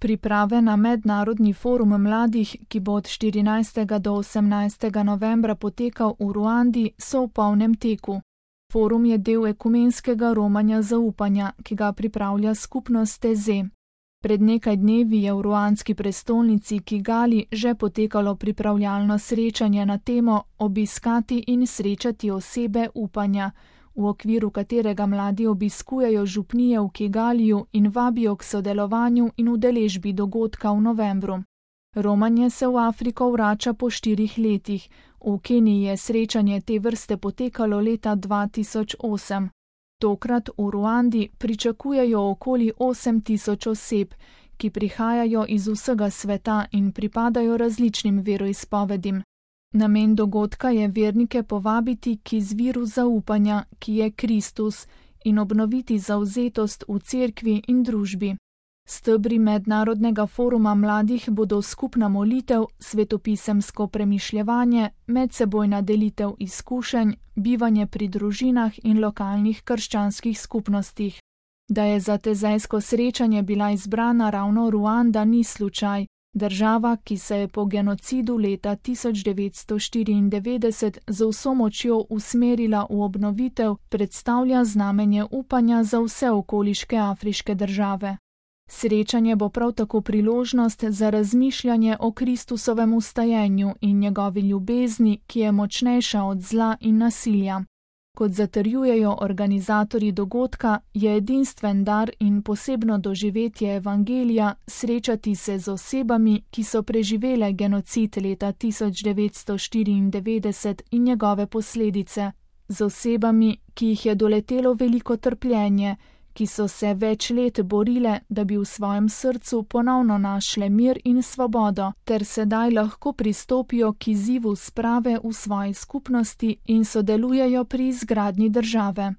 Priprave na mednarodni forum mladih, ki bo od 14. do 18. novembra potekal v Ruandi, so v polnem teku. Forum je del ekumenskega romanja zaupanja, ki ga pripravlja skupnost TZ. Pred nekaj dnevi je v ruandski prestolnici Kigali že potekalo pripravljalno srečanje na temo Obiskati in srečati osebe upanja, v okviru katerega mladi obiskujejo župnije v Kigaliju in vabijo k sodelovanju in udeležbi dogodka v novembru. Romanje se v Afriko vrača po 4 letih. V Keniji je srečanje te vrste potekalo leta 2008. Tokrat v Ruandi pričakujejo okoli 8000 oseb, ki prihajajo iz vsega sveta in pripadajo različnim veroizpovedim. Namen dogodka je vernike povabiti k izviru zaupanja, ki je Kristus, in obnoviti zavzetost v cerkvi in družbi. Stebri mednarodnega foruma mladih bodo skupna molitev, svetopisemsko premišljevanje, medsebojna delitev izkušenj, bivanje pri družinah in lokalnih krščanskih skupnostih. Da je za tezajsko srečanje bila izbrana ravno Ruanda, ni slučaj. Država, ki se je po genocidu leta 1994 z vso močjo usmerila v obnovitev, predstavlja znamenje upanja za vse okoliške afriške države. Srečanje bo prav tako priložnost za razmišljanje o Kristusovem vstajenju in njegovi ljubezni, ki je močnejša od zla in nasilja. Kot zatrjujejo organizatorji dogodka, je edinstven dar in posebno doživetje evangelija srečati se z osebami, ki so preživele genocid leta 1994 in njegove posledice, z osebami, ki jih je doletelo veliko trpljenje, ki so se več let borile, da bi v svojem srcu ponovno našle mir in svobodo, ter sedaj lahko pristopijo k izzivu sprave v svoji skupnosti in sodelujejo pri izgradnji države.